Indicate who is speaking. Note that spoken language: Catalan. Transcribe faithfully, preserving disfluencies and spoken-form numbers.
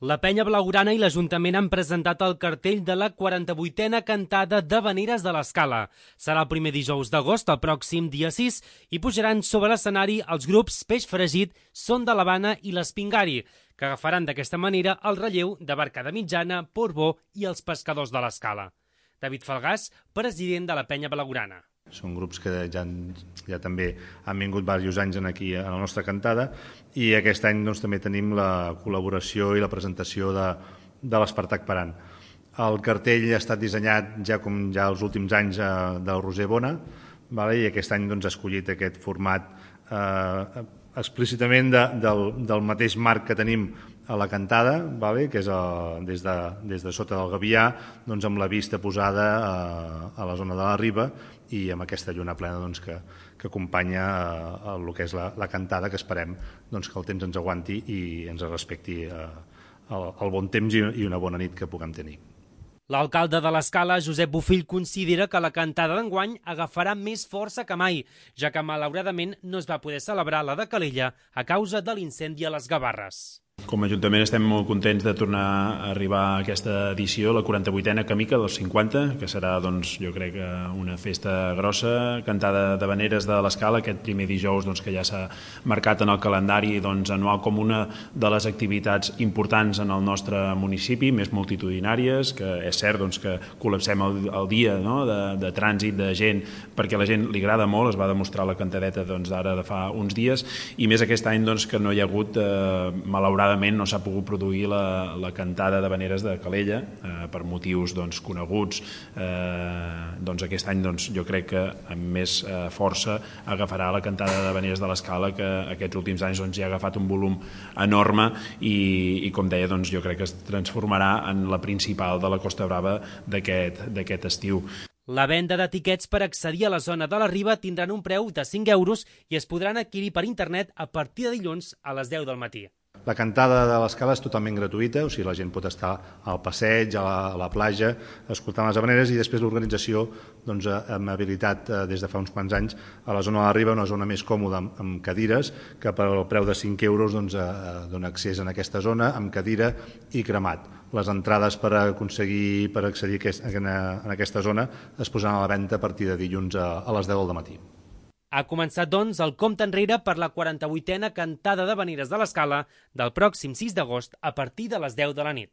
Speaker 1: La Penya Blaugrana i l'Ajuntament han presentat el cartell de la quaranta-vuitena cantada d'Havaneres de l'Escala. Serà el primer dijous d'agost, el pròxim dia sis, i pujaran sobre l'escenari els grups Peix Fregit, Son de l'Havana i l'Espingari, que agafaran d'aquesta manera el relleu de Barcada Mitjana, Portbó i els Pescadors de l'Escala. David Falgàs, president de la Penya Blaugrana.
Speaker 2: Són grups que ja, ja també han vingut diversos anys aquí a la nostra cantada i aquest any doncs, també tenim la col·laboració i la presentació de, de l'Espartac Parant. El cartell ha estat dissenyat ja com ja els últims anys eh, del Roser Bona, vale? I aquest any doncs, ha escollit aquest format eh, explícitament de, del, del mateix marc que tenim a la cantada, vale? Que és a, des, de, des de sota del Gavià, doncs, amb la vista posada a, a la zona de la Riba i amb aquesta lluna plena doncs, que, que acompanya a, a el que és la, la cantada, que esperem doncs, que el temps ens aguanti i ens respecti eh, el, el bon temps i, i una bona nit que puguem tenir.
Speaker 1: L'alcalde de l'Escala, Josep Bofill, considera que la cantada d'enguany agafarà més força que mai, ja que malauradament no es va poder celebrar la de Calella a causa de l'incendi a les Gavarres.
Speaker 3: Com a Ajuntament estem molt contents de tornar a arribar a aquesta edició, la quaranta-vuitena Camica dels cinquanta, que serà, doncs, jo crec, una festa grossa, cantada d'Havaneres de l'Escala, aquest primer dijous doncs, que ja s'ha marcat en el calendari doncs, anual com una de les activitats importants en el nostre municipi, més multitudinàries, que és cert doncs, que col·lapsem el, el dia no? de, de trànsit, de gent, perquè a la gent li agrada molt, es va demostrar la cantadeta doncs, d'ara de fa uns dies, i més aquest any doncs, que no hi ha hagut, eh, malauradament, no s'ha pogut produir la, la cantada d'Havaneres de Calella eh, per motius doncs, coneguts. Eh, doncs aquest any doncs, jo crec que amb més eh, força agafarà la cantada d'Havaneres de l'Escala, que aquests últims anys doncs, ja ha agafat un volum enorme i, i com deia, doncs, jo crec que es transformarà en la principal de la Costa Brava d'aquest estiu.
Speaker 1: La venda d'etiquets per accedir a la zona de la Riba tindran un preu de cinc euros i es podran adquirir per internet a partir de dilluns a les deu del matí.
Speaker 2: La cantada de l'Escala és totalment gratuïta, o sigui, la gent pot estar al passeig, a la, a la platja, escoltant les havaneres, i després l'organització doncs, amb habilitat des de fa uns quants anys a la zona de la Riba, una zona més còmoda amb, amb cadires, que per el preu de cinc euros doncs, eh, dona accés en aquesta zona, amb cadira i cremat. Les entrades per aconseguir per accedir a aquest, en aquesta zona es posaran a la venda a partir de dilluns a, a les deu del matí.
Speaker 1: Ha començat, doncs, el compte enrere per la quaranta-vuitena cantada d'Havaneres de l'Escala del pròxim sis d'agost a partir de les deu de la nit.